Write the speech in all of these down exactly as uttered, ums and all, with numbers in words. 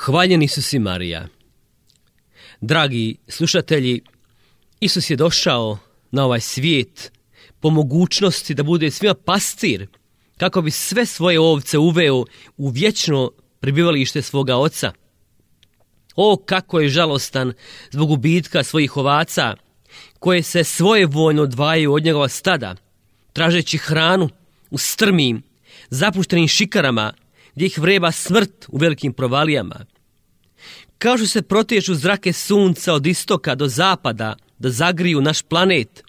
Hvaljen Isus i Marija. Dragi slušatelji, Isus je došao na ovaj svijet po mogućnosti da bude svima pastir, kako bi sve svoje ovce uveo u vječno prebivalište svoga Oca. O, kako je žalostan zbog gubitka svojih ovaca, koje se svojevoljno odvajaju od njegova stada, tražeći hranu u strmim, zapuštenim šikarama, gdje ih vreba smrt u velikim provalijama. Kao što se protječu zrake sunca od istoka do zapada da zagriju naš planet,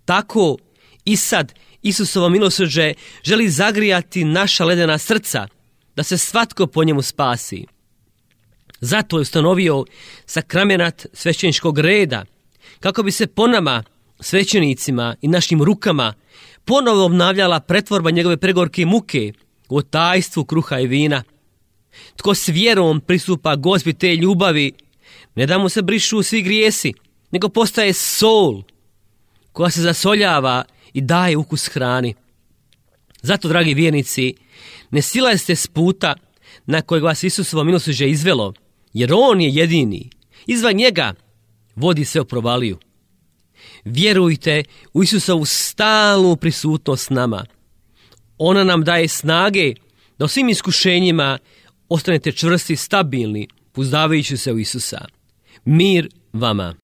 tako i sad Isusovo milosrđe želi zagrijati naša ledena srca, da se svatko po njemu spasi. Zato je ustanovio sakramenat svećeničkog reda, kako bi se po nama, svećenicima i našim rukama, ponovo obnavljala pretvorba njegove pregorke muke u tajstvu kruha i vina. Tko s vjerom pristupa Gospi te ljubavi, ne da mu se brišu svi grijesi, nego postaje sol koja se zasoljava i daje ukus hrani. Zato, dragi vjernici, ne silazite s puta na kojeg vas Isusovo milosrđe izvelo, jer On je jedini. Izvan njega vodi sve u provaliju. Vjerujte u Isusovu stalnu prisutnost s nama. Ona nam daje snage da u svim iskušenjima ostanete čvrsti i stabilni, pouzdavajući se u Isusa. Mir vama.